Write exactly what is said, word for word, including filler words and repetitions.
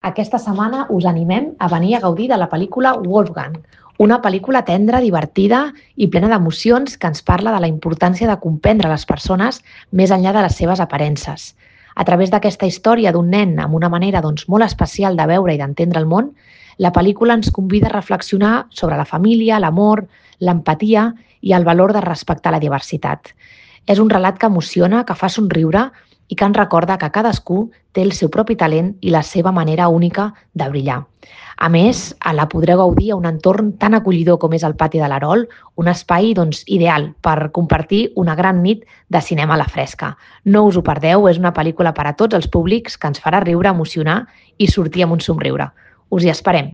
Aquesta setmana us animem a venir a gaudir de la pel·lícula Wolfgang, una pel·lícula tendra, divertida i plena d'emocions que ens parla de la importància de comprendre les persones més enllà de les seves aparences. A través d'aquesta història d'un nen amb una manera doncs, molt especial de veure i d'entendre el món, la pel·lícula ens convida a reflexionar sobre la família, l'amor, l'empatia i el valor de respectar la diversitat. És un relat que emociona, que fa somriure i que ens recorda que cadascú té el seu propi talent i la seva manera única de brillar. A més, la podreu gaudir a un entorn tan acollidor com és el pati de l'Arol, un espai doncs, ideal per compartir una gran nit de cinema a la fresca. No us ho perdeu, és una pel·lícula per a tots els públics que ens farà riure, emocionar i sortir amb un somriure. Us hi esperem!